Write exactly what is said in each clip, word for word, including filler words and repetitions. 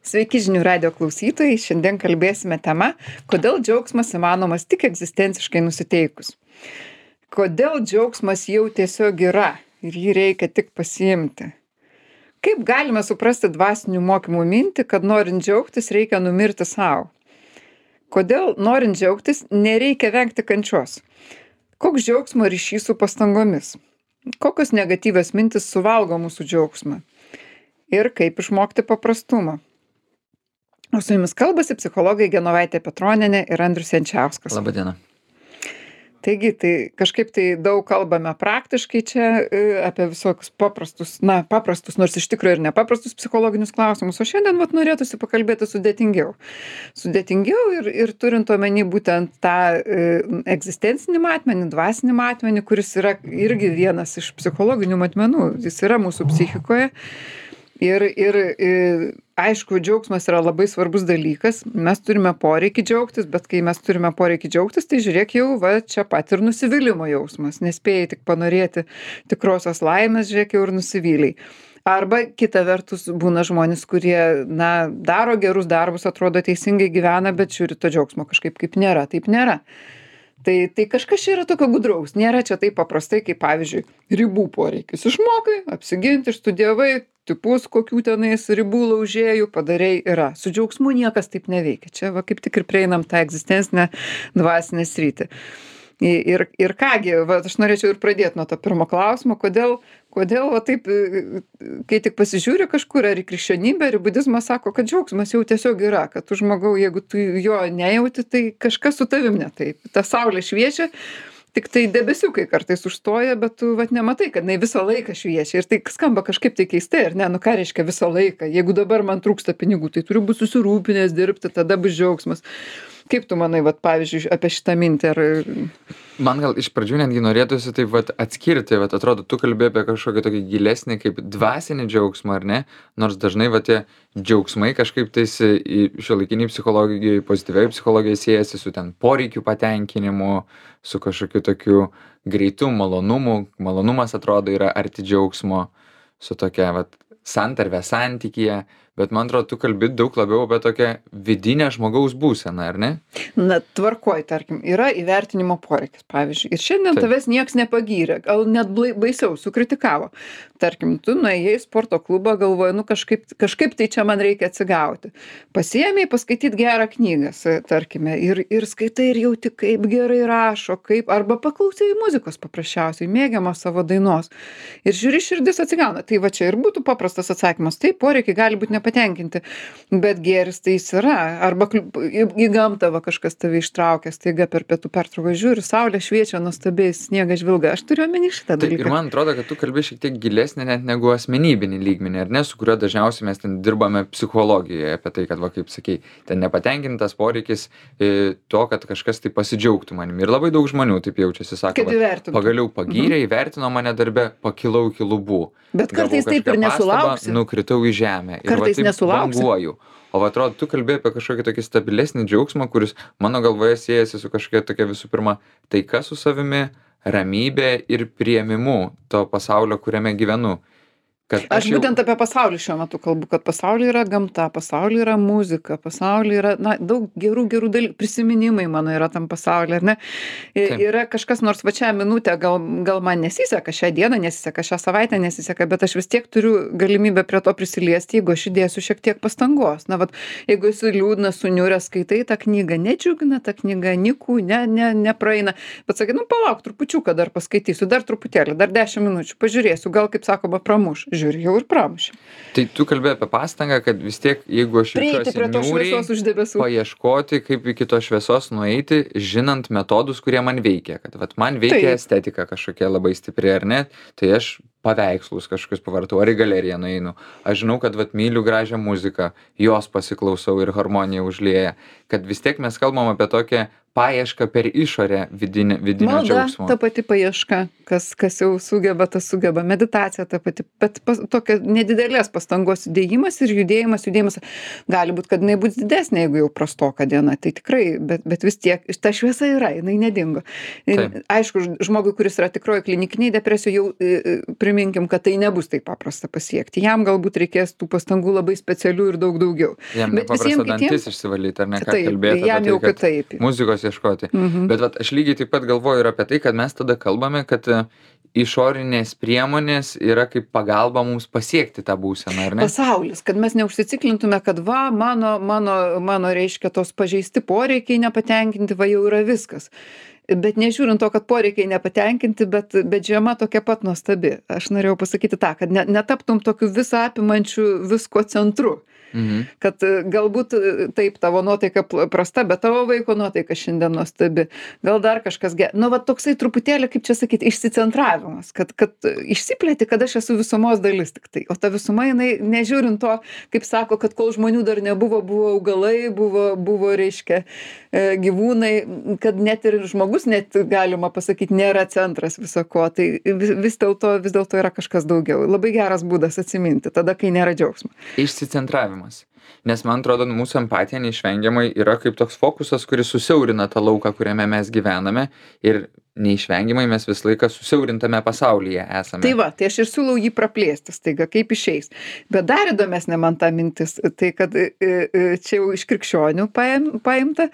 Sveiki žinių radijo klausytojai, šiandien kalbėsime tema, kodėl džiaugsmas įmanomas tik egzistenciškai nusiteikus. Kodėl džiaugsmas jau tiesiog yra ir jį reikia tik pasiimti. Kaip galime suprasti dvasinių mokymų mintį, kad norint džiaugtis reikia numirti savo? Kodėl norint džiaugtis nereikia vengti kančios? Koks džiaugsmo ryšys su pastangomis? Kokios negatyvios mintis suvalgo mūsų džiaugsmą? Ir kaip išmokti paprastumą? O su jumis kalbasi psichologai Genovaitė Petronienė ir Andrius Jančiauskas. Labadiena. Taigi, tai kažkaip tai daug kalbame praktiškai čia e, apie visokius paprastus, na, paprastus, nors iš tikrųjų ir nepaprastus psichologinius klausimus, o šiandien vat norėtųsi pakalbėti sudėtingiau. Sudėtingiau ir, ir turint omeny būtent tą e, egzistencinį matmenį, dvasinį matmenį, kuris yra irgi vienas iš psichologinių matmenų, jis yra mūsų psichikoje. Ir, ir, ir aišku, džiaugsmas yra labai svarbus dalykas. Mes turime poreikį džiaugtis, bet kai mes turime poreikį džiaugtis, tai žiūrėk jau va čia pat ir nusivylimo jausmas. Nespėjai tik panorėti tikrosios laimės, žiūrėk jau ir nusivyliai. Arba kita vertus būna žmonės, kurie, na, daro gerus darbus, atrodo teisingai gyvena, bet žiūri to džiaugsmo kažkaip kaip nėra. Taip nėra. Tai, tai kažkas čia yra tokio gudraus. Nėra čia taip paprastai, kaip pavyzdžiui, ribų poreikis. Išmokai, apsiginti, išstudijavai, tipus kokių tenais ribų laužėjų padarei yra. Su džiaugsmu niekas taip neveikia. Čia va kaip tik ir prieinam tą egzistencinę dvasinę sritį. Ir, ir kągi, va, aš norėčiau ir pradėti nuo to pirmo klausimo, kodėl, kodėl va taip, kai tik pasižiūri kažkur, ar į krikščionybę, ar į budizmą, sako, kad džiaugsmas jau tiesiog yra, kad tu žmogau, jeigu tu jo nejauti, tai kažkas su tavim ne taip. Ta saulė šviečia, tik tai debesiukai kartais užstoja, bet tu vat nematai, kad jinai visą laiką šviečia. Ir tai skamba kažkaip tai keistai, ar ne? Nu ką reiškia visą laiką? Jeigu dabar man trūksta pinigų, tai turiu būti susirūpinęs dirbti, tada bus džiaugsmas. Kaip tu manai, vat, pavyzdžiui, apie šitą mintį? Ar... Man gal iš pradžių netgi norėtųsi taip vat atskirti, vat atrodo, tu kalbėjai apie kažkokį tokį gilesnį kaip dvasinį džiaugsmą, ar ne? Nors dažnai va tie džiaugsmai kažkaip tais šiuolaikiniai psichologijai, pozityviai psichologijai siejasi su ten poreikių patenkinimu, su kažkokiu tokiu greitu malonumu. Malonumas atrodo yra arti džiaugsmo, su tokia vat santarvė santykyje. Bet man atrodo, tu kalbi daug labiau apie tokią vidinę žmogaus būseną, ar ne? Na, tvarkoj, tarkim, yra įvertinimo poreikis, pavyzdžiui. Ir šiandien Taip. Tavęs nieks nepagyrė, gal net baisiau, sukritikavo. Tarkim, tu nuėjai į sporto klubą, galvoji, nu kažkaip, kažkaip tai čia man reikia atsigauti. Pasiėmei paskaityti gerą knygą, tarkime, ir, ir skaitai ir jauti, kaip gerai rašo, kaip, arba paklausai muzikos paprasčiausiai, mėgiamos savo dainos. Ir žiūri, širdis atsigauna. Tai va čia ir būtų paprastas atsakymas. Taip, poreikiai gali būti nepatenkinti, bet gėris tai jis yra. Arba į gamtą va kažkas tave ištraukia, staiga per pietų pertrauką žiūri, saulė šviečia nuostabiai, sniegas žvilga. Aš turiu omeny šitą dalyką. Tai ir man atrodo, kad tu kalbi šiek tiek gilesnį net negu asmenybinį lygmenį, ar ne, su kuriuo dažniausiai mes ten dirbame psichologijoje, apie tai, kad, va, kaip sakei, ten nepatenkintas poreikis e, to, kad kažkas tai pasidžiaugtų manimi. Ir labai daug žmonių taip jaučiasi, sako, va, pagaliau pagyrė, įvertino mane darbe, pakilau iki lubų. Bet kartais taip ir nesulauksi. Nukritau į žemę. Kartais nesulauksi. O va, atrodo, tu kalbėjai apie kažkokį tokį stabilesnį džiaugsmą, kuris mano galvoje siejasi su kažkokia tokia visų pirma taika su savimi, ramybė ir priėmimu to pasaulio, kuriame gyvenu. Aš, aš jau... būtent apie pasaulį šiuo metu kalbu, kad pasaulyje yra gamta, pasaulyje yra muzika, pasaulyje yra, na, daug gerų, gerų dalykų, prisiminimai mano yra tam pasaulyje, ar ne? Ir yra kažkas, nors va čia minutę gal, gal man nesiseka, šią dieną nesiseka, šią savaitę nesiseka, bet aš vis tiek turiu galimybę prie to prisiliesti, jeigu aš įdėsiu šiek tiek pastangos. Na, vat, jeigu esi liūdnas, suniuręs, skaitai tą knygą, nedžiugina tą knygą, nikų, ne, ne, nepraeina, bet sakai, nu, palauk, trupučiuką dar paskaitysiu, dar truputėlį, dar dešimt minučių, pažiūrėsiu, gal, kaip sakoma, pramuš. Žiūri, jau ir pramušė. Tai tu kalbėjai apie pastangą, kad vis tiek, jeigu aš jaučiuosi niūriai, paieškoti, kaip iki tos šviesos nueiti, žinant metodus, kurie man veikia. Kad vat, man veikia Taip. Estetika kažkokia labai stipri, ar ne? Tai aš paveikslus kažkokius pavartau, ar į galeriją nueinu. Aš žinau, kad vat, myliu gražią muziką, jos pasiklausau ir harmonija užlieja. Kad vis tiek mes kalbam apie tokią paiešką per išorę vidinę, vidinio Malda, džiaugsmo. Ta pati paieška. kas kas jau sugeba, tas sugeba. Meditacija ta pati, bet pas, tokia nedidelės pastangos įdėjimas ir judėjimas, judėjimas. Gali būt, kad jinai bus didesnė, jeigu jau prastoka diena, tai tikrai, bet, bet vis tiek ta šviesa yra, jinai nedingo. Ir, Taip. aišku, žmogui, kuris yra tikroji klinikiniai depresijų, jau e, priminkim, kad tai nebus taip paprasta pasiekti. Jam galbūt reikės tų pastangų labai specialių ir daug daugiau. Jam Bet nepaprasta visiem kitiem- dantis išsivalyti, ar ne, ką Taip, kalbėti jam apie jau tai, kad kitaip. muzikos ieškoti. Mhm. Bet vat, aš lygiai taip pat galvoju ir apie tai, kad mes tada kalbame, kad e, išorinės priemonės yra kaip pagalba mums pasiekti tą būseną, ar ne? Pasaulis, kad mes neužsiciklintume, kad va, mano, mano, mano reiškia tos pažeisti poreikiai nepatenkinti, va jau yra viskas. Bet nežiūrint to, kad poreikiai nepatenkinti, bet, bet žiema tokia pat nuostabi. Aš norėjau pasakyti tą, kad ne, netaptum tokiu visą apimančiu visko centru. Mhm. Kad e, galbūt e, taip tavo nuotaika pl- prasta, bet tavo vaiko nuotaika šiandien nuostabi. Gal dar kažkas ge... Nu, va toksai truputėlį, kaip čia sakyti, išsicentravimas, kad, kad e, išsiplėti, kad aš esu visumos dalis tik tai. O ta visuma, jinai, nežiūrint to, kaip sako, kad kol žmonių dar nebuvo, buvo augalai, buvo, buvo reiškia, e, gyvūnai, kad net ir žmogus, net galima pasakyti, nėra centras visako. Tai vis, vis dėlto vis dėlto yra kažkas daugiau. Labai geras būdas atsiminti, tada, kai nėra džiaugsmo. Išsicentravimas. Nes man atrodo, mūsų empatija neišvengiamai yra kaip toks fokusas, kuris susiaurina tą lauką, kuriame mes gyvename ir neišvengiamai mes visą laiką susiaurintame pasaulyje esame. Tai va, tai aš ir siūlau jį praplėsti staiga, kaip išeis. Bet dar įdomesnė man ta mintis, tai kad e, e, čia jau iš krikščionių paim, paimta,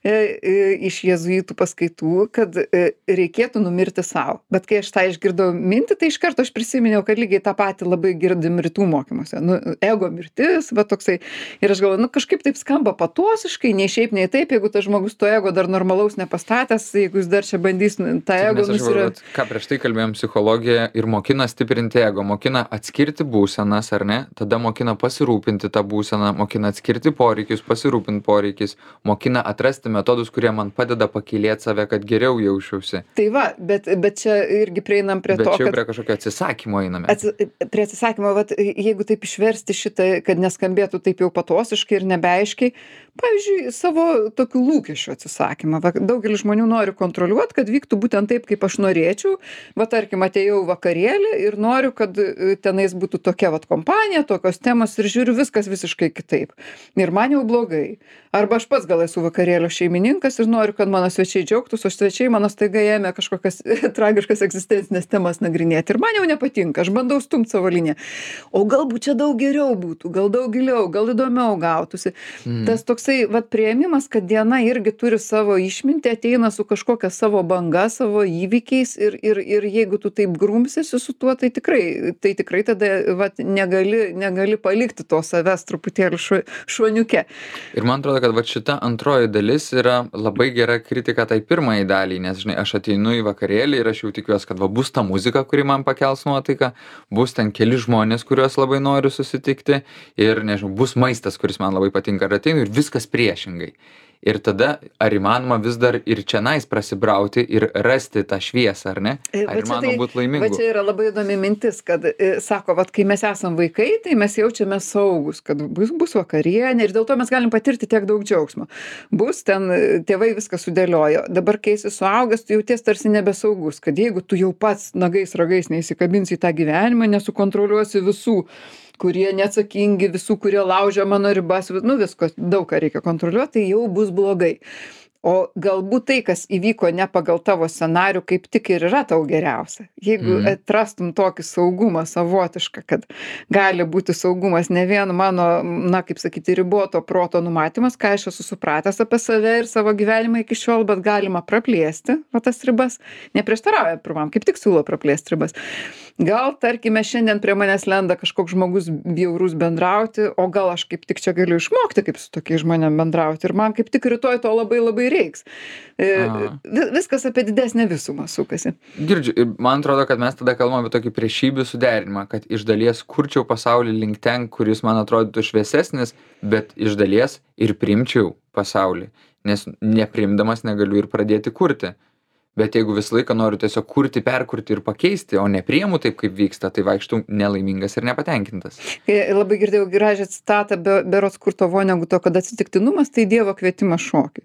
e, e, iš jėzuitų paskaitų, kad e, reikėtų numirti savo. Bet kai aš tą išgirdau mintį, tai iš karto aš prisiminiau, kad lygiai tą patį labai girdim rytų mokymuose. Nu, ego mirtis, va toksai. Ir aš galvoju, nu kažkaip taip skamba patosiškai, nei šiaip, nei taip, jeigu tas žmogus to ego dar normalaus nepastatęs, jeigu jis dar čia bandys tą Taip, ego nes aš galvoju, nusira... vat, ką prieš tai kalbėjom, psichologija ir mokina stiprinti ego, mokina atskirti būsenas, ar ne, tada mokina pasirūpinti tą būseną, mokina atskirti poreikius, pasirūpinti poreikius, mokina atrasti metodus, kurie man padeda pakylėti save, kad geriau jausčiausi. Tai va, bet, bet čia irgi prieinam prie Bet to, čia jau kad... prie kažkokio atsisakymo einame. Atsi, prie atsisakymo, vat, jeigu taip išversti šitą, kad neskambėtų taip jau patosiškai ir nebeaiškiai, pavyzdžiui, savo tokių lūkesčių atsisakymą. Va, daugelis žmonių nori kontroliuoti, kad vyktų būtent taip, kaip aš norėčiau. Va, tarkim, atėjau vakarėlį ir noriu, kad e, tenais būtų tokia vat kompanija, tokios temos ir žiūriu viskas visiškai kitaip. Ir man jau blogai. Arba aš pats gal esu vakarėlio šeimininkas ir noriu, kad mano svečiai džiaugtųsi, o svečiai mano staiga ėmė kažkokias tragiškas egzistencinės temas nagrinėti. Ir man jau nepatinka, aš bandau stumti savo liniją. O galbūt čia daug geriau būtų, gal daug giliau, gal įdomiau gautųsi. Mm. Tas toksai vat priėmimas, kad diena irgi turi savo išmintį, ateina su kažkokia savo banga, savo įvykiais ir, ir, ir jeigu tu taip grumsiesi su tuo, tai tikrai, tai tikrai tada vat, negali, negali palikti to savęs truputėlį šu, šuoniuke. Ir man atrodo, kad va šita antroji dalis yra labai gera kritika tai pirmai daliai, nes, žinai, aš ateinu į vakarėlį ir aš jau tikiuosi, kad va bus ta muzika, kuri man pakels nuotaiką, bus ten keli žmonės, kuriuos labai noriu susitikti ir, nežinau, bus maistas, kuris man labai patinka ir ateinu ir viskas priešingai. Ir tada, ar įmanoma vis dar ir čianais prasibrauti ir rasti tą šviesą, ar ne? Ar įmanoma tai, būti laimingu? Va čia yra labai įdomi mintis, kad e, sako, vat, kai mes esam vaikai, tai mes jaučiame saugus, kad bus, bus vakarienė ir dėl to mes galim patirti tiek daug džiaugsmo. Bus ten, tėvai viską sudėliojo. Dabar, kai esi suaugęs, tu jauties tarsi nebesaugus, kad jeigu tu jau pats nagais ragais neįsikabinsi į tą gyvenimą, nesukontroliuosi visų, kurie neatsakingi, visų, kurie laužia mano ribas, nu visko, daug ką reikia kontroliuoti, tai jau bus blogai. O galbūt tai, kas įvyko ne pagal tavo scenarių, kaip tik ir yra tau geriausia. Jeigu Mhm. atrastum tokį saugumą savotišką, kad gali būti saugumas ne vien mano, na, kaip sakyti, riboto proto numatymas, ką aš esu supratęs apie save ir savo gyvenimą iki šiol, bet galima praplėsti, va tas ribas, neprieštarauja pirmam, kaip tik siūlo praplėsti ribas. Gal, tarkime, šiandien prie manęs lenda kažkoks žmogus bjaurus bendrauti, o gal aš kaip tik čia galiu išmokti, kaip su tokiais žmonėm bendrauti. Ir man kaip tik rytoj to labai labai reiks. E, A. vi- viskas apie didesnę visumą sukasi. Girdžiu, ir man atrodo, kad mes tada kalbame apie tokį priešybių suderinimą, kad iš dalies kurčiau pasaulį link ten, kuris man atrodytų šviesesnis, bet iš dalies ir priimčiau pasaulį, nes neprimdamas negaliu ir pradėti kurti. Bet jeigu visą laiką noriu tiesiog kurti, perkurti ir pakeisti, o nepriimu taip, kaip vyksta, tai vaikštų nelaimingas ir nepatenkintas. E, Labai girdėjau gražią citatą be, berods Kurto Voneguto, kad atsitiktinumas tai Dievo kvietimas šokiui.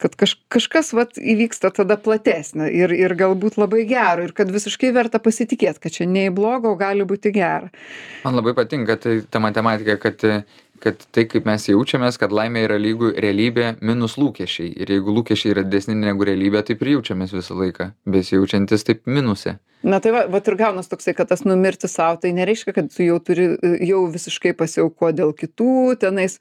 kad kaž kažkas vat įvyksta tada platesnio ir ir galbūt labai gero ir kad visiškai verta pasitikėt, kad čia ne į blogą, o gali būt į gerą. Man labai patinka tai ta matematika, kad kad tai, kaip mes jaučiamės, kad laimė yra lygu realybė minus lūkesčiai. Ir jeigu lūkesčiai yra didesni negu realybė, taip ir jaučiamės visą laiką, besijaučiantis taip minuse. Na tai va, vat ir gaunas toksai, kad tas numirti sau, tai nereiškia, kad tu jau turi jau visiškai pasiaukot dėl kitų, tenais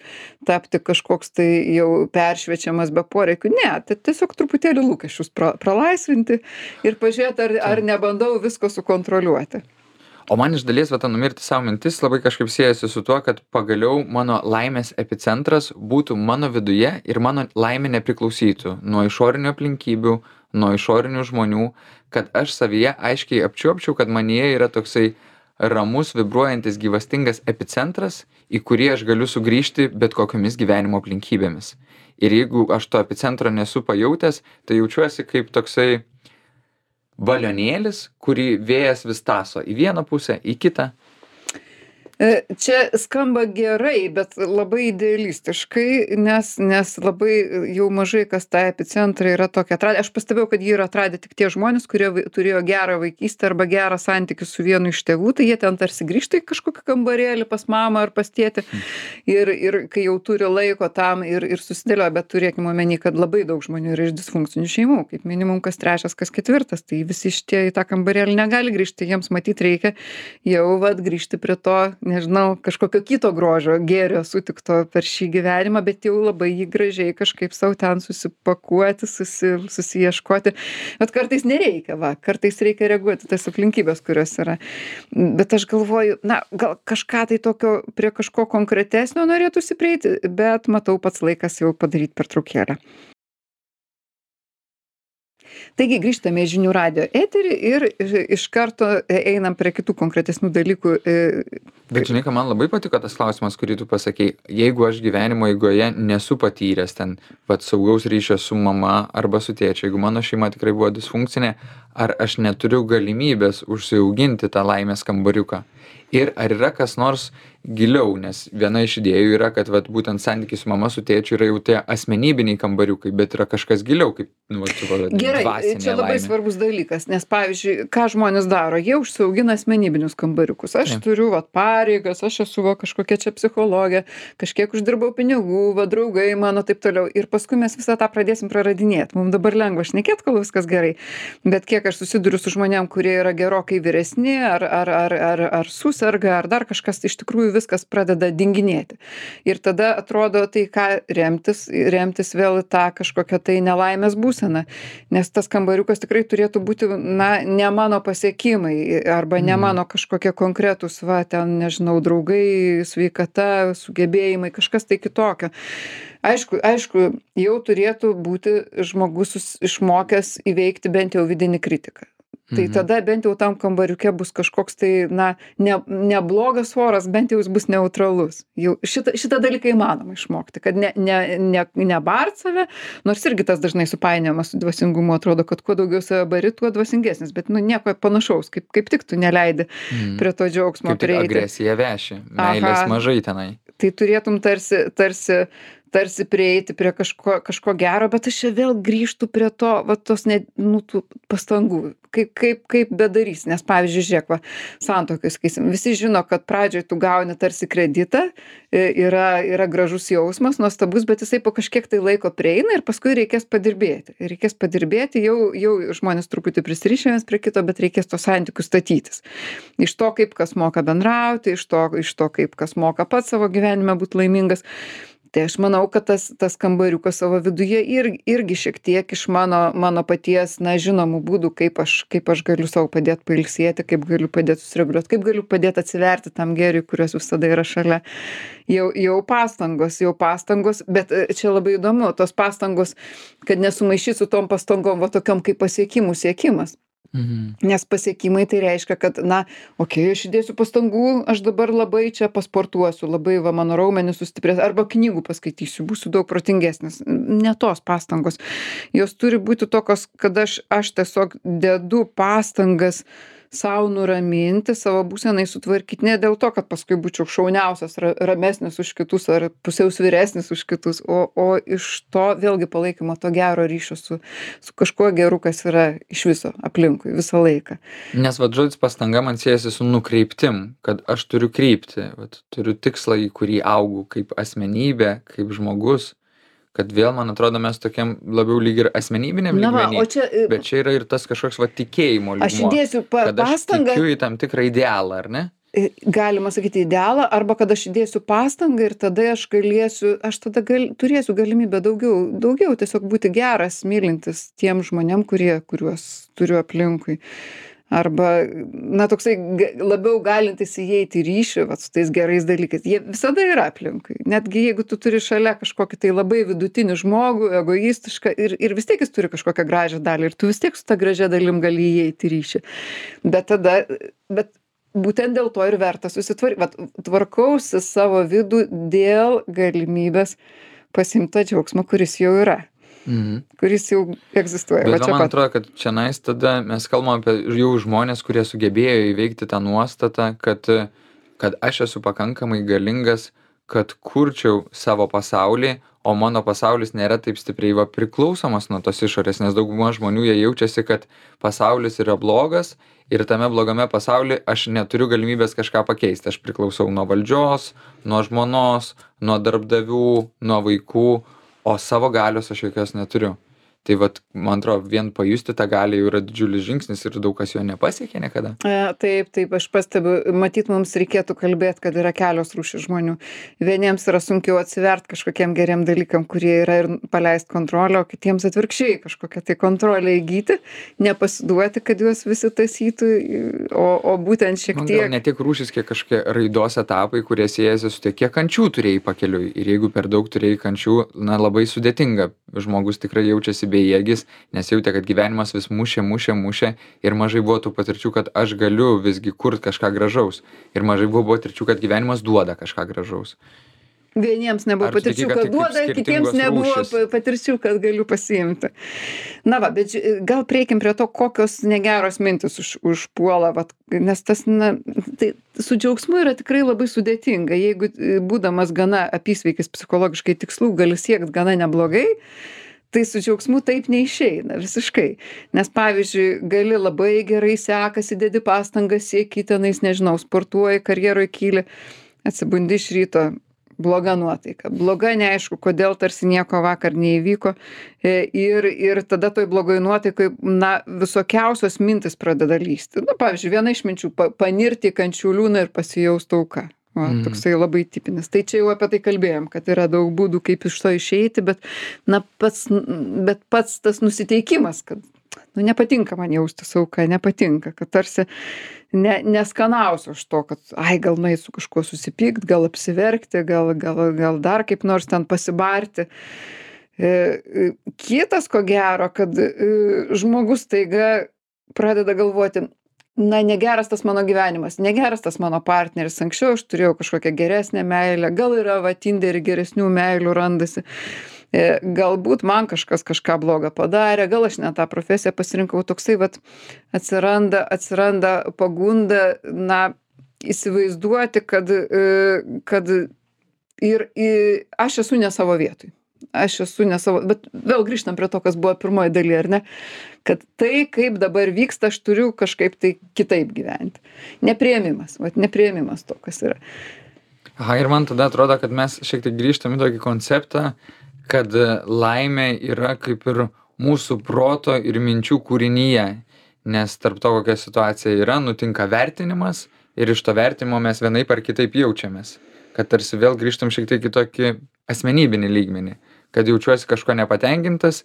tapti kažkoks tai jau peršviečiamas be poreikių. Ne, tai tiesiog truputėlį lūkesčius pra, pralaisvinti ir pažiūrėti, ar, ar nebandau visko sukontroliuoti. O man iš dalies va ta numirti sau mintis labai kažkaip siejasi su tuo, kad pagaliau mano laimės epicentras būtų mano viduje ir mano laimė nepriklausytų nuo išorinių aplinkybių, nuo išorinių žmonių, kad aš savyje aiškiai apčiuopčiau, kad manyje yra toksai ramus, vibruojantis, gyvastingas epicentras, į kurį aš galiu sugrįžti bet kokiamis gyvenimo aplinkybėmis. Ir jeigu aš to epicentro nesu pajautęs, tai jaučiuosi kaip toksai balionėlis, kurį vėjas vis taso į vieną pusę, į kitą. Čia skamba gerai, bet labai idealistiškai, nes, nes labai jau mažai kas tą epicentrą yra tokia atradę. Aš pastebėjau, kad jį yra atradę tik tie žmonės, kurie turėjo gerą vaikystę arba gerą santykį su vienu iš tėvų, tai jie ten tarsi grįžta į kažkokį kambarėlį pas mamą ar pas tėtį ir, ir kai jau turi laiko tam ir, ir susidėlioja, bet turėkime omeny, kad labai daug žmonių yra iš disfunkcinių šeimų, kaip minimum kas trečias, kas ketvirtas, tai visi šitie į tą kambarėlį negali grįžti, jiems matyt reikia jau vat grįžti prie to, nežinau, kažkokio kito grožio, gėrio sutikto per šį gyvenimą, bet jau labai jį gražiai kažkaip savo ten susipakuoti, susi, susiieškoti. Bet kartais nereikia, va, kartais reikia reaguoti tas aplinkybės, kurios yra. Bet aš galvoju, na, gal kažką tai tokio prie kažko konkretesnio norėtųsi prieiti, bet matau pats laikas jau padaryti pertraukėlę. Taigi grįžtame į žinių radijo eterį ir iš karto einam prie kitų konkretesnių dalykų. Bet žinai, ką man labai patiko tas klausimas, kurį tu pasakei. Jeigu aš gyvenimo eigoje nesu patyręs ten pat saugaus ryšio su mama arba su tėčiu, jeigu mano šeima tikrai buvo disfunkcinė, ar aš neturiu galimybės užsiauginti tą laimės kambariuką? Ir ar yra kas nors giliau, nes viena iš idėjų yra, kad vat, būtent santykiai su mama, su tėčiu yra jau tie asmenybiniai kambariukai, bet yra kažkas giliau, kaip nu, vat, su, vat, Gerai, čia labai laimė. Svarbus dalykas, nes pavyzdžiui, ką žmonės daro, jie užsiaugina asmenybinius kambariukus. Aš ja. turiu vat, pareigas, aš esu va, kažkokia čia psichologė, kažkiek uždirbau pinigų, va, draugai mano taip toliau. Ir paskui mes visą tą pradėsim praradinėti. Mums dabar lengva šnekėti, kol viskas gerai. Bet kiek aš susiduriu su žmonėm, kurie yra gerokai vyresni, ar, ar, ar, ar, ar susirga, ar dar kažkas, iš tikrųjų viskas pradeda dinginėti. Ir tada atrodo, tai ką remtis, remtis vėl tą kažkokią tai nelaimės būseną. Nes tas kambariukas tikrai turėtų būti, na, ne mano pasiekimai, arba ne mano kažkokie konkretūs, va, ten, nežinau, draugai, sveikata, sugebėjimai, kažkas tai kitokio. Aišku, aišku, jau turėtų būti žmogus išmokęs įveikti bent jau vidinį kritiką. Tai mhm. tada bent jau tam kambariuke bus kažkoks tai, na, ne, neblogas oras, bent jau jis bus neutralus. Jau šitą, šitą dalyką įmanoma išmokti, kad ne, ne, ne, nebart save, nors irgi tas dažnai supainiojamas su dvasingumu, atrodo, kad kuo daugiau save bari, tuo dvasingesnis, bet nu nieko panašaus, kaip, kaip tik tu neleidi mhm. prie to džiaugsmo kaip prieiti. Kaip agresija veši, meilės Aha. mažai tenai. Tai turėtum tarsi, tarsi tarsi prieiti prie kažko, kažko gero, bet aš čia vėl grįžtu prie to, va, tos ne, nu, tų pastangų, kaip, kaip, kaip bedarys, nes pavyzdžiui, žiūrėk, va, santuokai, sakysim, visi žino, kad pradžioj tu gauni tarsi kreditą, yra, yra gražus jausmas, nuostabus, bet jisai po kažkiek tai laiko prieina ir paskui reikės padirbėti. Reikės padirbėti, jau, jau žmonės truputį prisirišę vienas prie kito, bet reikės tos santykius statytis. Iš to, kaip kas moka bendrauti, iš to, iš to kaip kas moka pats savo gyvenime būti laimingas. Tai aš manau, kad tas, tas kambariukas savo viduje ir, irgi šiek tiek iš mano, mano paties, na, žinomų būdų, kaip aš, kaip aš galiu savo padėti pailsėti, kaip galiu padėti susireguliuoti, kaip galiu padėti atsiverti tam gėriui, kurios visada yra šalia. Jau, jau pastangos, jau pastangos, bet čia labai įdomu, tos pastangos, kad nesumaišyt su tom pastangom, va tokiom kaip pasiekimų siekimas. Mhm. Nes pasiekimai tai reiškia, kad, na, okei, okay, aš įdėsiu pastangų, aš dabar labai čia pasportuosiu, labai va mano raumenis sustiprės, arba knygų paskaitysiu, būsiu daug protingesnis. Ne tos pastangos. Jos turi būti tokios, kad aš, aš tiesiog dedu pastangas sau nuraminti, savo būsenai sutvarkyti, ne dėl to, kad paskui būčiau šauniausias, ra ramesnis už kitus ar pusiaus vyresnis už kitus, o o iš to vėlgi palaikymo to gero ryšio su su kažkuo geru, kas yra iš viso aplinkui visą laiką. Nes vat žodis pastanga man siejasi su nukreiptim, kad aš turiu kryptį, vat turiu tikslą, į kurį augu kaip asmenybė, kaip žmogus, kad vėl, man atrodo, mes tokiam labiau lyg ir asmenybiniam Na va, lygmeny, o čia, e, bet čia yra ir tas kažkoks va tikėjimo aš lygmuo, įdėsiu pa kad aš pastangą, tikiu į tam tikrą idealą, ar ne? e, galima sakyti idealą, arba kad aš įdėsiu pastangą ir tada aš galėsiu, aš tada gal, turėsiu galimybę daugiau, daugiau tiesiog būti geras, mylintis tiem žmonėm, kurie, kuriuos turiu aplinkui. Arba, na, toksai ga- labiau galintis įeiti į ryšį, vat, su tais gerais dalykais. Jie visada yra aplinkui. Netgi jeigu tu turi šalia kažkokį tai labai vidutinį žmogų, egoistišką, ir, ir vis tiek jis turi kažkokią gražią dalį, ir tu vis tiek su ta gražia dalim gali įeiti į ryšį. Bet tada, bet būtent dėl to ir verta susitvarkyti. Vat tvarkausi savo vidų dėl galimybės pasimti tą džiaugsmą, kuris jau yra, Mhm. kuris jau egzistuoja. Va Bet va, čia man pat. atrodo, kad čianais tada mes kalbam apie jau žmonės, kurie sugebėjo įveikti tą nuostatą, kad, kad aš esu pakankamai galingas, kad kurčiau savo pasaulį, o mano pasaulis nėra taip stipriai va priklausomas nuo tos išorės, nes dauguma žmonių jie jaučiasi, kad pasaulis yra blogas ir tame blogame pasaulyje aš neturiu galimybės kažką pakeisti. Aš priklausau nuo valdžios, nuo žmonos, nuo darbdavių, nuo vaikų, o savo galios aš jokios neturiu. Tai vat, man atrodo, vien pajusti tą galią jau yra didžiulis žingsnis ir daug kas jo nepasiekė niekada. E, Taip, taip, aš pastebiu, matyt, mums reikėtų kalbėti, kad yra kelios rūšys žmonių. Vieniems yra sunkiau atsivert kažkokiem geriem dalykam, kurie yra, ir paleist kontrolę, o kitiems atvirkščiai kažkokią tai kontrolę įgyti, nepasiduoti, kad juos visi tasytų, o, o būtent šiek Man gal tiek. ne tiek rūšis, kiek kažkokie raidos etapai, kurie siejasi su tiek, kiek kančių turėjai pakeliui. Ir jeigu per daug turėjai kančių, na labai sudėtinga. Žmogus tikrai jaučiasi bejėgis, nes jautė, kad gyvenimas vis mušė, mušė, mušė ir mažai buvo tų patirčių, kad aš galiu visgi kurti kažką gražaus. Ir mažai buvo patirčių, kad gyvenimas duoda kažką gražaus. Vieniems nebuvo Ar tu tiki, patirčių, kad kad tai kaip duoda, kitiems skirtingos nebuvo rūšys? pa- patirčių, kad galiu pasiimti. Na va, bet ži- gal prieikim prie to, kokios negeros mintis už, užpuola, vat, nes tas, na, tai su džiaugsmu yra tikrai labai sudėtinga. Jeigu e, būdamas gana apysveikis psichologiškai tikslų gali siekti gana neblogai, tai su džiaugsmu taip neišeina visiškai. Nes pavyzdžiui, gali labai gerai sekasi, dedi pastangas, sieki tenais, nežinau, sportuoji, karjeroj kyli, atsibundi iš ryto, bloga nuotaika. Bloga, neaišku, kodėl tarsi nieko vakar neįvyko. E, Ir, ir tada toj blogoj nuotaikai, na, visokiausios mintis pradeda lysti. Na, pavyzdžiui, viena iš minčių pa, - panirti į kančių liūną ir pasijausti auka. O, Mhm. toksai labai tipinis. Tai čia jau apie tai kalbėjom, kad yra daug būdų, kaip iš to išeiti, bet, na, pats, bet pats tas nusiteikimas, kad, nu, nepatinka man jaustis auka, nepatinka, kad tarsi ne, neskanausiu aš to, kad, ai, gal nueit su kažkuo susipykt, gal apsiverkti, gal, gal, gal dar kaip nors ten pasibarti. E, e, Kitas, ko gero, kad e, žmogus taiga pradeda galvoti, na, negeras tas mano gyvenimas, negeras tas mano partneris, anksčiau aš turėjau kažkokią geresnę meilę, gal yra va Tinderį geresnių meilių randasi, E, galbūt man kažkas kažką blogą padarė, gal aš ne tą profesiją pasirinkau, toksai vat atsiranda, atsiranda pagunda, na, įsivaizduoti, kad, e, kad ir, ir aš esu ne savo vietoj. Aš esu ne savo, bet vėl grįžtam prie to, kas buvo pirmoji daly, ar ne? Kad tai, kaip dabar vyksta, aš turiu kažkaip tai kitaip gyventi. Nepriėmimas, vat nepriėmimas to, kas yra. Aha, ir man tada atrodo, kad mes šiek tiek grįžtam į tokį konceptą, kad laimė yra kaip ir mūsų proto ir minčių kūrinyje, nes tarp to, kokia situacija yra, nutinka vertinimas ir iš to vertinimo mes vienaip ar kitaip jaučiamės. Kad tarsi vėl grįžtam šiek tiek į tokį asmenybinį lygmenį, kad jaučiuosi kažko nepatenkintas,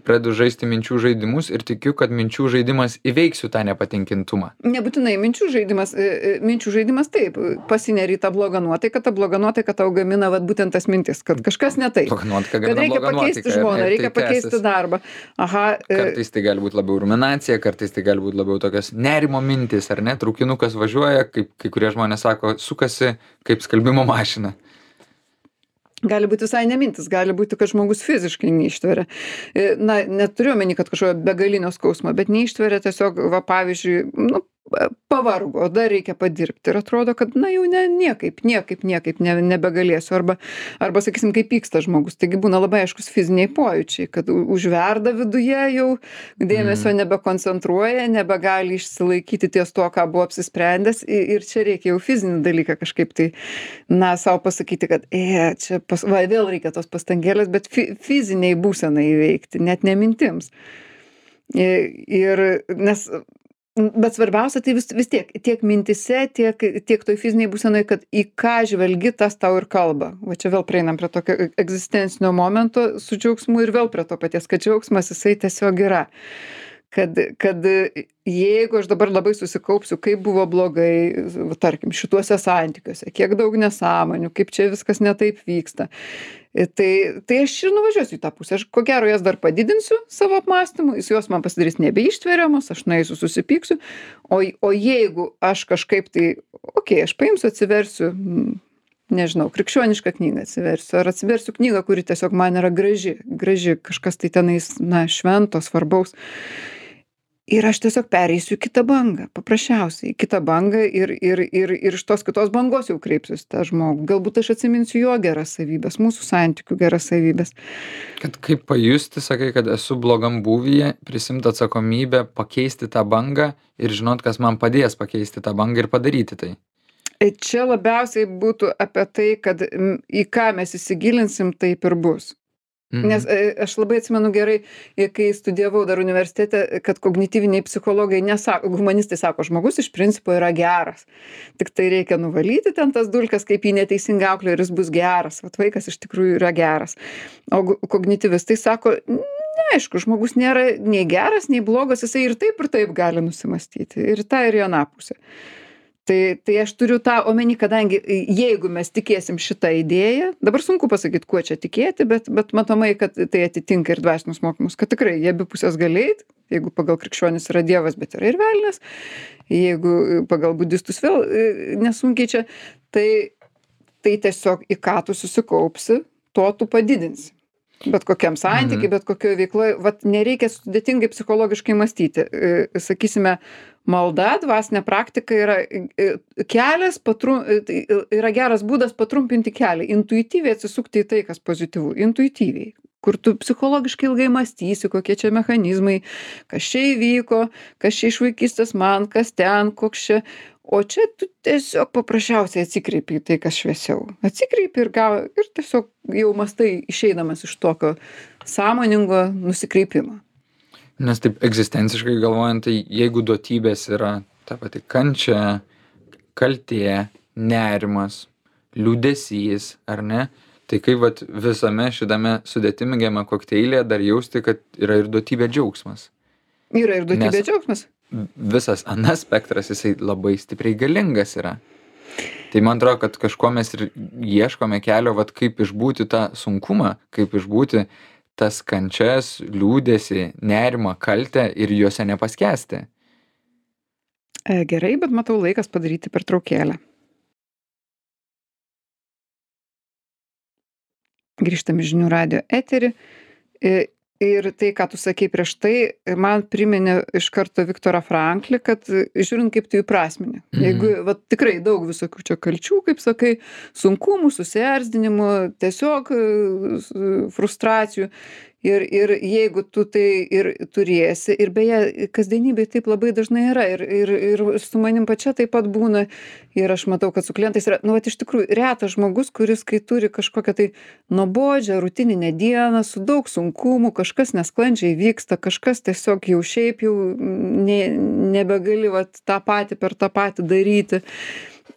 pradedu žaisti minčių žaidimus ir tikiu, kad minčių žaidimas įveiksiu tą nepatenkintumą. Nebūtinai minčių žaidimas, e, e, minčių žaidimas taip, pasineri į tą blogą nuotaiką, ta bloga nuotaika tau gamina vat būtent tas mintis, kad kažkas ne taip. Bloga nuotaika Kad gamina reikia blogą pakeisti nuotaiką, žmoną, ir reikia tai pakeisti tęsiasi. darbą. Aha, e, Kartais tai gali būti labiau ruminacija, kartais tai gali būti labiau tokios nerimo mintis, ar ne? Traukinukas važiuoja, kaip kai kurie žmonės sako, sukasi kaip skalbimo mašina. gali būti visai ne mintis, gali būti, kad žmogus fiziškai neištveria. E, Na, neturiu omeny, kad kažkokio begalinio skausmo, bet neištveria tiesiog, va, pavyzdžiui, nu, pa pavargo, dar reikia padirbti ir atrodo, kad na jau ne niekaip, niekaip, niekaip ne nebegalėsiu. Arba arba sakysim, kai pyksta žmogus, taigi būna labai aiškūs fiziniai pojūčiai, kad u užverda viduje jau, dėmesio Mhm. nebekoncentruoja, nebegali išsilaikyti ties tuo, ką buvo apsisprendęs i ir čia reikia jau fizinį dalyką kažkaip tai, na, sau pasakyti, kad ė, čia pas va vėl reikia tos pastangėlės, bet fi fizinei būsenai įveikti, net ne mintims. I ir nes N bet svarbiausia tai vis vis tiek, tiek mintyse, tiek tiek toj fizinėj būsenoj, kad į ką žvelgi, tas tau ir kalba. Va čia vėl prieinam prie tokio e egzistencinio momento su džiaugsmu ir vėl prie to paties, kad džiaugsmas jisai tiesiog yra. Kad kad jeigu aš dabar labai susikaupsiu, kaip buvo blogai, va tarkim, šituose santykiuose, kiek daug nesąmonių, kaip čia viskas ne taip vyksta, i tai tai aš ir nuvažiuosiu į tą pusę. Aš ko gero jas dar padidinsiu savo apmąstymu, jis jos man pasidarys nebeištveriamos, aš nueisiu susipyksiu. O j o jeigu aš kažkaip tai, okei, aš paimsiu, atsiversiu, mm, nežinau, krikščionišką knygą atsiversiu, ar atsiversiu knygą, kuri tiesiog man yra graži, graži, kažkas tai tenais, na, švento, svarbaus. Ir aš tiesiog pereisiu į kitą bangą, paprasčiausiai į kitą bangą ir ir ir ir iš tos kitos bangos jau kreipsiuos į tą žmogų. Galbūt aš atsiminsiu jo geras savybes, mūsų santykių geras savybes. Kad kaip pajusti, sakai, kad esu blogam būvyje, prisiimt atsakomybę, pakeisti tą bangą ir žinot, kas man padės pakeisti tą bangą ir padaryti tai. E čia labiausiai būtų apie tai, kad, m, į ką mes įsigilinsim, taip ir bus. Nes Mhm. e aš labai atsimenu gerai, i kai studijavau dar universitete, kad kognityviniai psichologai nesa humanistai sako, žmogus iš principo yra geras. Tiktai reikia nuvalyti ten tas dulkes, kaip jį neteisingai auklėjo ir jis bus geras. Vat vaikas iš tikrųjų yra geras. O gu kognityvistai sako, neaišku, žmogus nėra nei geras, nei blogas, jisai ir taip, ir taip gali nusimąstyti. Ir į tą, ir į aną pusę. Tai tai aš turiu tą omeny, kadangi i jeigu mes tikėsim šita idėja, dabar sunku pasakyt, kuo čia tikėti, bet bet matomai, kad tai atitinka ir dvasinius mokymus, kad tikrai į abi puses gali eit, jeigu pagal krikščionis yra Dievas, bet yra ir velnias, jeigu pagal budistus vėl i nesunkiai čia, tai tai tiesiog į ką tu susikaupsi, to tu padidinsi. Bet kokiam santyky, Mhm. bet kokioj veikloj, vat nereikia sudėtingai psichologiškai mąstyti. I sakysime, malda, dvasinė praktika yra i i kelias patru i tai yra geras būdas patrumpinti kelią, intuityviai atsisukti į tai, kas pozityvu, intuityviai. Kur tu psichologiškai ilgai mąstysi, kokie čia mechanizmai, kas čia įvyko, kas čia iš vaikystės man, kas ten, koks čia. O čia tu tiesiog paprasčiausiai atsikreipi į tai, kas šviesiau. Atsikreipi ir gal ir tiesiog jau mąstai išeidamas iš tokio sąmoningo nusikreipimo. Nes taip egzistenciškai galvojant, tai jeigu duotybės yra ta pati kančia, kaltė, nerimas, liūdesys, ar ne, tai kaip vat visame šitame sudėtingame kokteilyje dar jausti, kad yra ir duotybė džiaugsmas. Yra ir duotybė Nes- džiaugsmas. Visas anas spektras, jisai labai stipriai galingas yra. Tai man atrodo, kad kažko mes ir ieškome kelio, vat kaip išbūti tą sunkumą, kaip išbūti tas kančias, liūdesį, nerimą, kaltę ir juose nepaskęsti. E, gerai, bet matau laikas padaryti pertraukėlę. Grįžtam į žinių radijo eterį. I ir tai, ką tu sakei prieš tai, man priminė iš karto Viktorą Franklį, kad žiūrint, kaip tu įprasmini. Mhm. Jeigu vat tikrai daug visokių čia kalčių, kaip sakai, sunkumų, susierzdinimų, tiesiog e, s frustracijų. Ir ir jeigu tu tai ir turėsi, ir beje, kasdienybėj taip labai dažnai yra, ir ir ir su manim pačia taip pat būna, ir aš matau, kad su klientais yra, nu vat iš tikrųjų retas žmogus, kuris kai turi kažkokią tai nuobodžią rutininę dieną su daug sunkumų, kažkas nesklandžiai vyksta, kažkas tiesiog jau šiaip jau nė nebegali vat tą patį per tą patį daryti.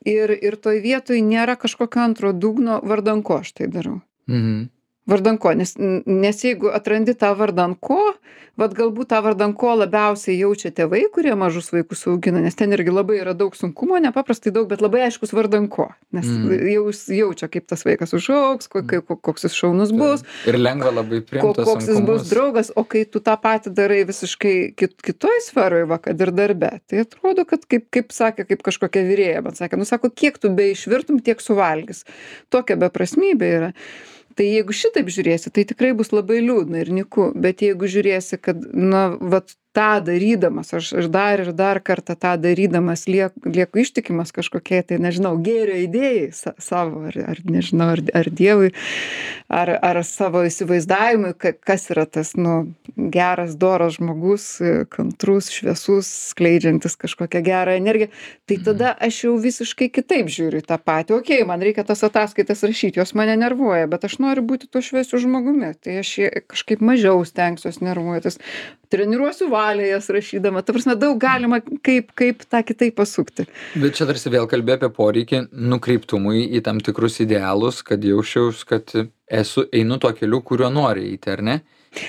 Ir ir toj vietoj nėra kažkokio antro dugno, vardan ko aš tai darau. Mhm. Vardan ko, nes n nes jeigu atrandi tą vardan ko, vat galbūt tą vardan ko labiausiai jaučia tėvai, kurie mažus vaikus augina, nes ten irgi labai yra daug sunkumo, nepaprastai daug, bet labai aiškus vardan ko. Nes Mhm. jau jis jaučia, kaip tas vaikas užaugs, ko kai koks jis šaunus bus, Ir lengva labai ko priimt tuos koks jis bus sunkumus. draugas, o kai tu tą patį darai visiškai kit kitoj sferoj, va kad ir darbe, tai atrodo, kad kaip kaip sakė, kaip kažkokia virėja man sakė, nu sako, kiek tu beišvirtum, tiek suvalgys. Tokia beprasmybė yra. Tai jeigu šitaip žiūrėsi, tai tikrai bus labai liūdna ir nyku, bet jeigu žiūrėsi, kad na vat tą darydamas, aš, aš dar ir dar kartą tą darydamas lieku, lieku ištikimas kažkokiai, tai nežinau, gėrio idėjai sa, savo, ar, ar nežinau, ar, ar Dievui, ar, ar savo įsivaizdavimui, ka, kas yra tas, nu, geras, doras žmogus, kantrus, šviesus, skleidžiantis kažkokią gerą energiją, tai tada aš jau visiškai kitaip žiūriu į tą patį. Okei, man reikia tas ataskaitas rašyti, jos mane nervuoja, bet aš noriu būti tuo šviesiu žmogumi, tai aš kažkaip mažiau stengsiuos nervuotis. Treniruosiu valią jas rašydama. Ta prasme, daug galima kaip, kaip tą kitaip pasukti. Bet čia tarsi vėl kalbė apie poreikį nukreiptumui į tam tikrus idealus, kad jausčiaus, kad esu, einu tuo keliu, kuriuo nori eiti, ar ne?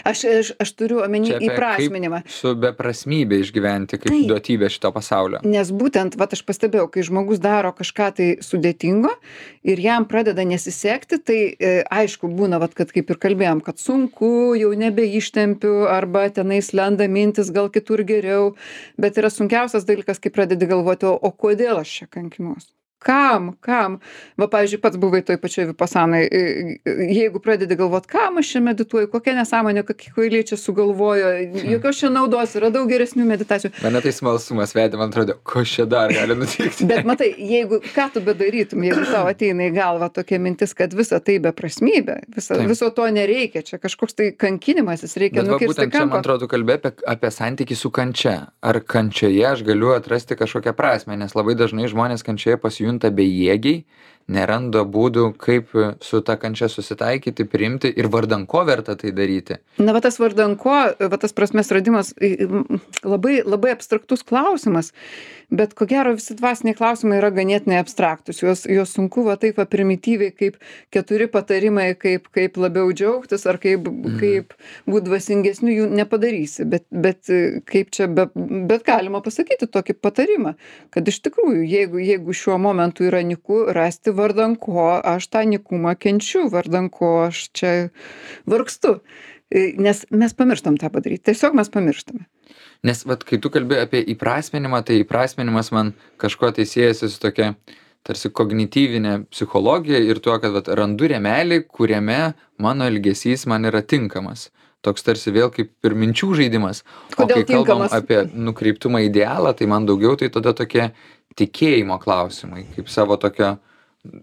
Aš, aš, aš turiu omeny įprasminimą. Su beprasmybė išgyventi, kaip tai, duotybė šito pasaulio. Nes būtent, vat aš pastebėjau, kai žmogus daro kažką tai sudėtingo ir jam pradeda nesisekti, tai e, aišku būna, vat, kad kaip ir kalbėjom, kad sunku, jau nebeištempiu, arba tenais lenda mintis, gal kitur geriau, bet yra sunkiausias dalykas, kai pradedi galvoti, o, o kodėl aš čia kankinuos? Kam, kam? Va, pavyzdžiui, pats buvai toj pačioj vipasanai, jeigu pradedi galvot, kam aš čia medituoju, kokia nesąmonė, kokie kvailiai čia sugalvojo, jokios čia naudos, yra daug geresnių meditacijų. Mane tai smalsumas vedė, man atrodo, ko čia dar gali nutikti. Bet matai, jeigu, ką tu bedarytum, jeigu tau ateina į galvą tokia mintis, kad visa tai beprasmybė, visa, viso to nereikia, čia kažkoks tai kankinimasis, reikia Bet nukirsti būtent čia, kampą. man atrodo, kalbė apie, apie santykį su kančia. Ar kančioje aš galiu atrasti kažkokią prasmę, nes labai dažnai žmonės kančioje pasijunta bejėgiai, neranda būdų, kaip su ta kančia susitaikyti, priimti ir vardan ko verta tai daryti. Na, va tas vardan ko, va tas prasmės radimas, labai, labai abstraktus klausimas, bet ko gero visi dvasiniai klausimai yra ganėtinai abstraktus, juos, juos sunku va taip va primityviai kaip keturi patarimai, kaip, kaip labiau džiaugtis ar kaip, mm. kaip būt dvasingesniu, jų nepadarysi, bet, bet kaip čia, be, bet galima pasakyti tokį patarimą, kad iš tikrųjų, jeigu, jeigu šiuo momentu yra niku, rasti vardan ko aš tą nikumą kenčiu, vardan ko aš čia vargstu. Nes mes pamirštam tą padaryti. Tiesiog mes pamirštame. Nes vat, kai tu kalbėjai apie įprasminimą, tai įprasminimas man kažko tai siejasi su tokia tarsi kognityvinė psichologija ir tuo, kad vat, randu rėmelį, kuriame mano elgesys man yra tinkamas. Toks tarsi vėl kaip ir minčių žaidimas. Kodėl o kai kalbam tinkamas? apie nukreiptumą idealą, tai man daugiau tai tada tokie tikėjimo klausimai, kaip savo tokio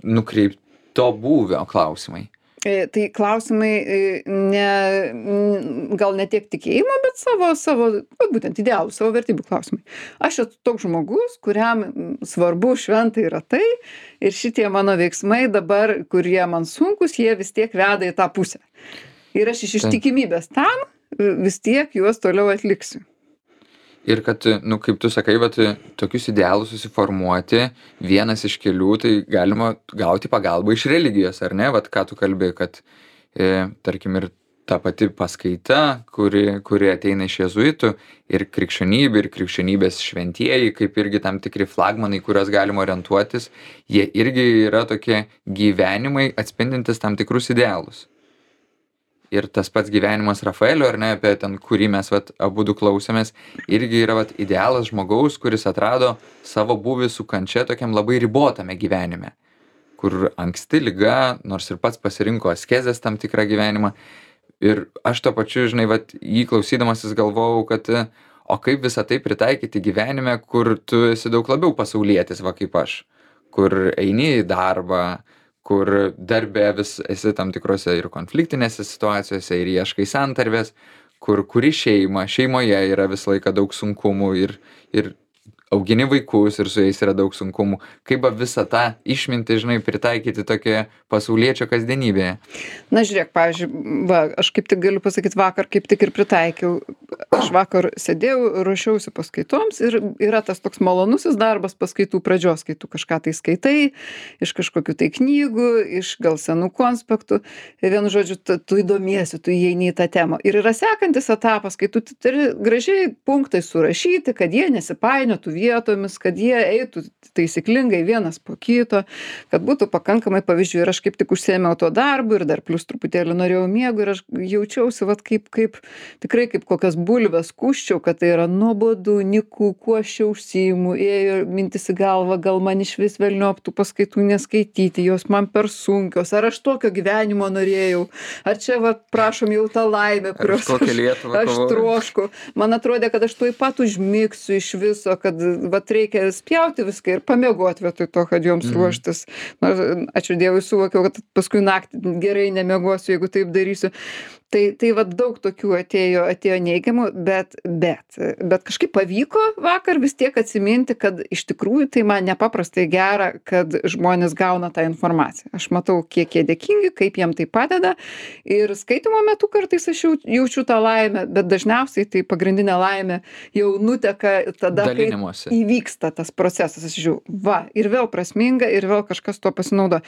nukreipto būvio klausimai. Tai klausimai ne, gal ne tiek tikėjimo, bet savo, savo, būtent idealų, savo vertybių klausimai. Aš esu toks žmogus, kuriam svarbu šventai yra tai ir šitie mano veiksmai dabar, kurie man sunkus, jie vis tiek veda į tą pusę. Ir aš iš ištikimybės tam vis tiek juos toliau atliksiu. Ir kad, nu, kaip tu sakai, bet tokius idealus susiformuoti, vienas iš kelių, tai galima gauti pagalbą iš religijos, ar ne? Vat ką tu kalbėjai, kad, e, tarkim, ir ta pati paskaita, kuri, kuri ateina iš jėzuitų, ir krikščionybė, ir krikščionybės šventieji, kaip irgi tam tikri flagmanai, kuriuos galima orientuotis, jie irgi yra tokie gyvenimai atspindintis tam tikrus idealus. Ir tas pats gyvenimas Rafaelio, ar ne, apie ten, kurį mes vat, abudu klausėmės, irgi yra vat, idealas žmogaus, kuris atrado savo buvį su kančia tokiam labai ribotame gyvenime, kur anksti liga, nors ir pats pasirinko askezės tam tikrą gyvenimą. Ir aš to pačiu, žinai, vat, jį klausydamasis galvojau, kad o kaip visą tai pritaikyti gyvenime, kur tu esi daug labiau pasaulietis, va kaip aš, kur eini į darbą, kur darbe vis esi tam tikrose ir konfliktinėse situacijose ir ieškai santarvės, kur kuri šeima, šeimoje yra visą laiką daug sunkumų ir, ir augini vaikus ir su jais yra daug sunkumų. Kaip visą tą išmintį, žinai, pritaikyti tokioje pasauliečio kasdienybėje? Na, žiūrėk, pavyzdžiui, va, aš kaip tik galiu pasakyti, vakar kaip tik ir pritaikiau. Aš vakar sėdėjau, ruošiausi paskaitoms ir yra tas toks malonusis darbas paskaitų pradžios, kai tu kažką tai skaitai, iš kažkokių tai knygų, iš gal senų konspektų. Ir vienu žodžiu, tu, tu įdomiesi, tu įeini į tą temą. Ir yra sekantis etapas, kai tu turi gražiai punktai surašyti, kad jie nesipainiotų vietomis, kad jie eitų taisyklingai vienas po kito, kad būtų pakankamai pavyzdžių. Ir aš kaip tik užsiėmiau tuo darbu ir dar plus truputėlį norėjau miego ir aš jaučiausi vat kaip, kaip tikrai kaip kokias bulves kuščiau, kad tai yra nuobodu, nyku, kuo aš čia užsiimu, ėjo mintis į galvą, gal man iš vis velniop tų paskaitų neskaityti, jos man per sunkios, ar aš tokio gyvenimo norėjau, ar čia va prašom jau tą laimę, kurios aš, aš trošku. Man atrodė, kad aš tuoj pat užmigsiu iš viso, kad vat reikia spjauti viską ir pamiegoti vietoj to, kad joms Mhm. ruoštis. Na, ačiū Dievui, suvokiau, kad paskui naktį gerai nemiegosiu, jeigu taip darysiu. Tai, tai vat daug tokių atėjo, atėjo neigiamų, bet, bet, bet kažkaip pavyko vakar vis tiek atsiminti, kad iš tikrųjų tai man nepaprastai gera, kad žmonės gauna tą informaciją. Aš matau, kiek jie dėkingi, kaip jiem tai padeda. Ir skaitimo metu kartais aš jau, jaučiu tą laimę, bet dažniausiai tai pagrindinė laimė jau nuteka tada, kai Dalinimuose. įvyksta tas procesas. Aš žiūriu, va, ir vėl prasminga, ir vėl kažkas tuo pasinaudo.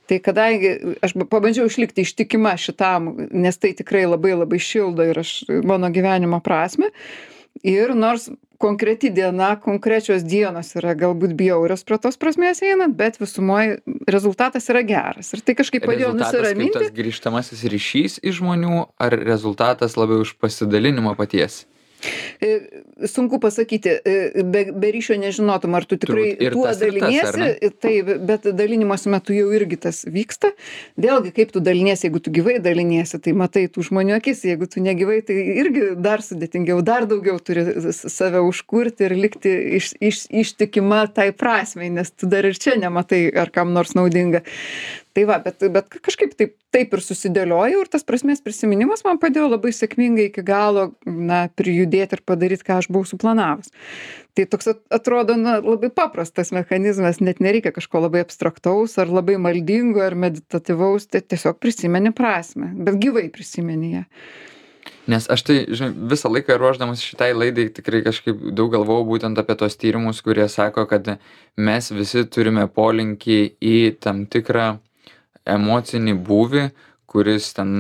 Tai kadangi aš pabandžiau išlikti ištikima šitam, nes tai tikrai labai labai šildo ir aš mano gyvenimo prasme. Ir nors konkreti diena, konkrečios dienos yra galbūt bjaurios prie tos prasmės einant, bet visumoje rezultatas yra geras. Ir tai kažkaip padėjo Rezultatas kaip nusiraminti. tas grįžtamasis ryšys iš žmonių, ar rezultatas labiau iš pasidalinimo paties? E, Sunku pasakyti, e, be, be ryšio nežinotum, ar tu tikrai Turbūt ir tuo tas, ir tas, ar daliniesi, ne? tai, bet dalinimosi metu jau irgi tas vyksta. Vėlgi, kaip tu daliniesi, jeigu tu gyvai daliniesi, tai matai tų žmonių akis, jeigu tu negyvai, tai irgi dar sudėtingiau, dar daugiau turi s- save užkurti ir likti iš, iš, ištikima tai prasmei, nes tu dar ir čia nematai, ar kam nors naudinga. Tai va, bet, bet kažkaip taip, taip ir susidėliojau ir tas prasmės prisiminimas man padėjo labai sėkmingai iki galo, na, prijudėti ir padaryti, ką aš buvau suplanavus. Tai toks at- atrodo, na, labai paprastas mechanizmas, net nereikia kažko labai abstraktaus ar labai maldingo ar meditatyvaus, tai tiesiog prisimeni prasmę, bet gyvai prisimeni ją. Nes aš tai, žinai, visą laiką ruošdamas šitai laidai tikrai kažkaip daug galvojau būtent apie tos tyrimus, kurie sako, kad mes visi turime polinkį į tam tikrą emocinį būvį, kuris ten,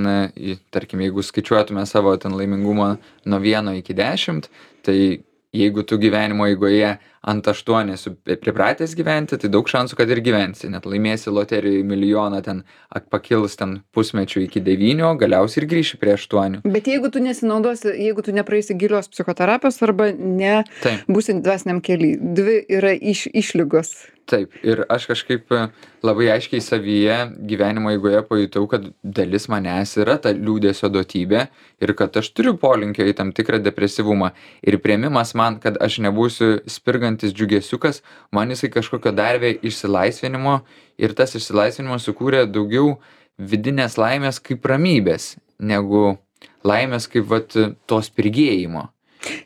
į- tarkim, jeigu skaičiuotume savo ten laimingumą nuo vieno iki dešimt, tai jeigu tu gyvenimo eigoje ant aštuonių esi pripratęs gyventi, tai daug šansų, kad ir gyvensi. Net laimėsi loterijoje milijoną, ten ak- pakils ten pusmečių iki devynių, galiausiai ir grįši prie aštuonių. Bet jeigu tu nesinaudosi, jeigu tu nepraeisi gilios psichoterapijos arba ne Taip. būsi dvasiniam kely, dvi yra iš, išlygos. Taip, ir aš kažkaip e, labai aiškiai savyje gyvenimo eigoje pajutau, kad dalis manęs yra ta liūdesio duotybė ir kad aš turiu polinkio į tam tikrą depresyvumą. Ir priėmimas man, kad aš nebūsiu spirgantis džiugesiukas, man jisai kažkokio darvė išsilaisvinimo ir tas išsilaisvinimas sukūrė daugiau vidinės laimės kaip ramybės, negu laimės kaip vat to spirgėjimo.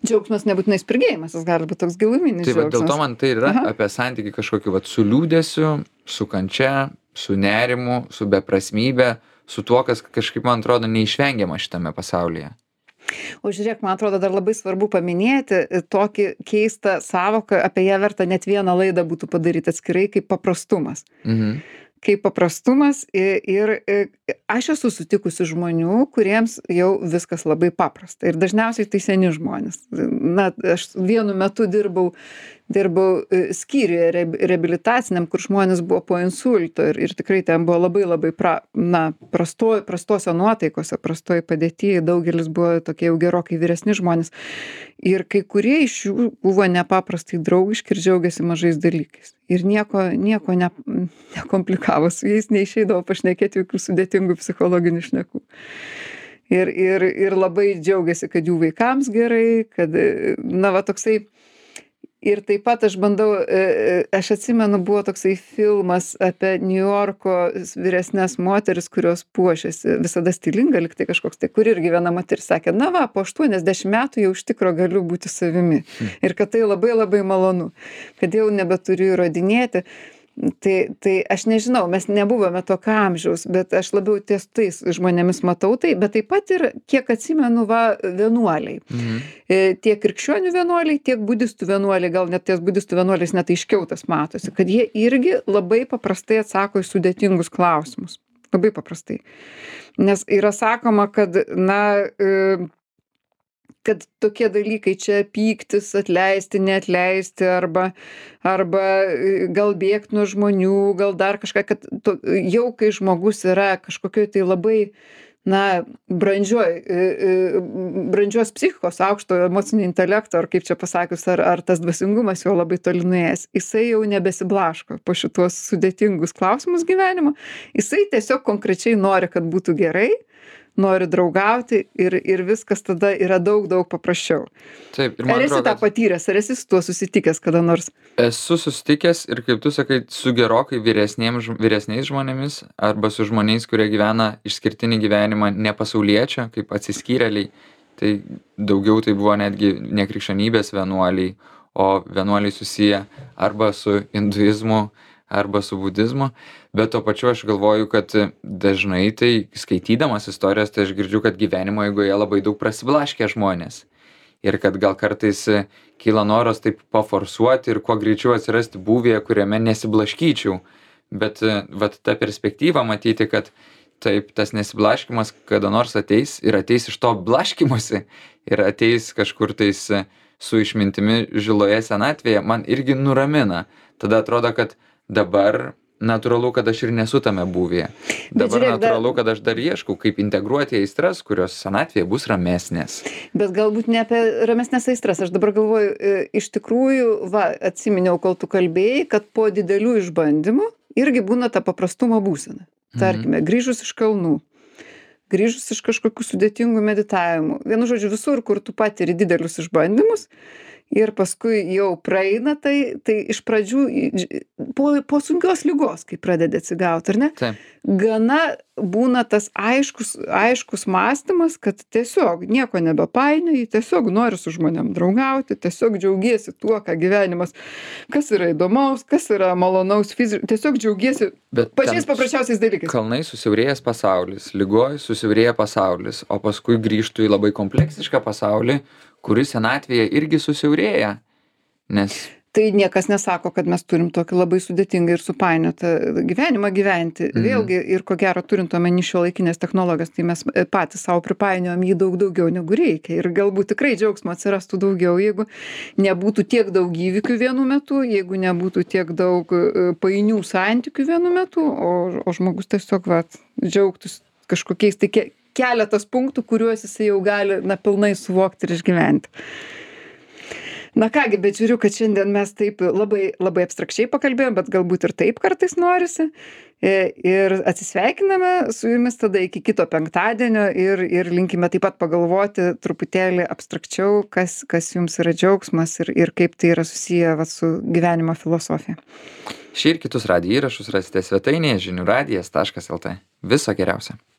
Džiaugsmas nebūtinai spirgėjimas, jis gali būti toks giluminis Tai va, dėl to džiaugsmas. man tai ir yra Aha. apie santykį kažkokį vat, su liūdėsiu, su kančia, su nerimu, su beprasmybė, su tuo, kas kažkaip man atrodo neišvengiama šitame pasaulyje. O žiūrėk, man atrodo, dar labai svarbu paminėti e, tokį keistą savoką, apie ją verta net vieną laidą būtų padaryti atskirai, kaip paprastumas. Mhm. Kaip paprastumas i- ir i, aš esu sutikusi žmonių, kuriems jau viskas labai paprasta. Ir dažniausiai tai seni žmonės. Na, aš vienu metu dirbau, dirbau e, skyriuje re- reabilitaciniam, kur žmonės buvo po insulto ir, ir tikrai ten buvo labai labai pra, na, prasto, prastose nuotaikose, prastoj padėtyje, daugelis buvo tokie jau gerokai vyresni žmonės. Ir kai kurie iš jų buvo nepaprastai draugiški ir džiaugiasi mažais dalykais. Ir nieko, nieko ne, nekomplikavo su jais, neišeidavo pašnekėti jokių sudėtingų psichologinių šnekų. Ir, ir, ir labai džiaugiasi, kad jų vaikams gerai, kad, e, na, va toksai. Ir taip pat aš bandau, e, e, aš atsimenu, buvo toksai filmas apie Niujorko vyresnes moteris, kurios puošiasi, visada stilinga, liktai kažkoks, tai kur irgi viena moteris sakė, na va, po aštuoniasdešimt metų jau iš tikro galiu būti savimi. Ir kad tai labai labai malonu, kad jau nebeturiu įrodinėti. Tai, tai aš nežinau, mes nebuvome tokio amžiaus, bet aš labiau ties tais žmonėmis matau tai, bet taip pat ir, kiek atsimenu, va, vienuoliai. Mhm. E, tiek krikščionių vienuoliai, tiek budistų vienuoliai, gal net ties budistų vienuoliais net aiškiau tas matosi, kad jie irgi labai paprastai atsako į sudėtingus klausimus. Labai paprastai. Nes yra sakoma, kad, na, e, kad tokie dalykai čia pyktis, atleisti, neatleisti arba, arba e, gal bėgt nuo žmonių, gal dar kažką, kad to, jau kai žmogus yra kažkokioj tai labai, na, brandžioj, e, e, brandžios psichikos, aukšto emocinio intelekto, ar kaip čia pasakius, ar, ar tas dvasingumas jo labai toli nuėjęs, jisai jau nebesiblaško po šitos sudėtingus klausimus gyvenimo, jisai tiesiog konkrečiai nori, kad būtų gerai, nori draugauti ir, ir viskas tada yra daug, daug paprasčiau. Taip, ir man Ar esi atrodo, tą kad patyręs, ar esi su tuo susitikęs kada nors? esu susitikęs ir kaip tu sakai, su gerokai vyresniem, ž- vyresniais žmonėmis arba su žmonėmis, kurie gyvena išskirtinį gyvenimą ne pasauliečio, kaip atsiskyrėliai. Tai daugiau tai buvo netgi ne krikščionybės vienuoliai, o vienuoliai susiję arba su hinduizmu, arba su budizmu. Bet tuo pačiu aš galvoju, kad dažnai tai skaitydamas istorijas, tai aš girdžiu, kad gyvenimo eigoje labai daug prasiblaškė žmonės. Ir kad gal kartais e, kyla noras taip paforsuoti ir kuo greičiau atsirasti būvėje, kuriame nesiblaškyčiau. Bet e, vat ta perspektyva matyti, kad taip tas nesiblaškymas kada nors ateis ir ateis iš to blaškymosi ir ateis kažkur tais e, su išmintimi žiloje senatvėje, man irgi nuramina. Tada atrodo, kad dabar natūralu, kad aš ir nesu tame būvyje. Dabar žiūrėk, dar- natūralu, kad aš dar ieškau, kaip integruoti aistras, kurios senatvėje bus ramesnės. Bet galbūt ne apie ramesnės aistras. Aš dabar galvoju, e, iš tikrųjų, va, atsiminiau, kol tu kalbėjai, kad po didelių išbandymų irgi būna ta paprastumo būsena. Tarkime, grįžus iš kalnų, grįžus iš kažkokių sudėtingų meditavimų. Vienu žodžiu, visur, kur tu patiri didelius išbandymus ir paskui jau praeina tai, tai iš pradžių į- dž- po, po sunkios lygos, kai pradedi atsigauti, ar ne? Taip. Gana būna tas aiškus, aiškus mąstymas, kad tiesiog nieko nebepainioji, tiesiog nori su žmonėm draugauti, tiesiog džiaugiesi tuo, ką gyvenimas, kas yra įdomaus, kas yra malonaus fiziškai, tiesiog džiaugiesi Bet pačiais ten paprasčiausiais dalykais. kalnai susiaurėjęs pasaulis, lygoj susiaurėja pasaulis, o paskui grįžtų į labai kompleksišką pasaulį, kuris senatvėje irgi susiaurėja. Nes Tai niekas nesako, kad mes turim tokį labai sudėtingą ir supainiotą gyvenimą gyventi. Mhm. Vėlgi, ir ko gero turint omeny šiuolaikinės technologijos, tai mes e, patys savo pripainiojam jį daug daugiau negu reikia. Ir galbūt tikrai džiaugsmo atsirastų daugiau, jeigu nebūtų tiek daug įvykių vienu metu, jeigu nebūtų tiek daug e, painių santykių vienu metu, o, o žmogus tiesiog vat, džiaugtųsi kažkokiais tai ke- keletas punktų, kuriuos jisai jau gali na, pilnai suvokti ir išgyventi. Na kągi, bet žiūriu, kad šiandien mes taip labai, labai abstrakčiai pakalbėjom, bet galbūt ir taip kartais norisi. E, Ir atsisveikiname su jumis tada iki kito penktadienio ir, ir linkime taip pat pagalvoti truputėlį abstrakčiau, kas, kas jums yra džiaugsmas ir, ir kaip tai yra susiję vat, su gyvenimo filosofija. šį ir kitus radijo įrašus rasite svetainėje žinių radijas taškas lt. Viso geriausio.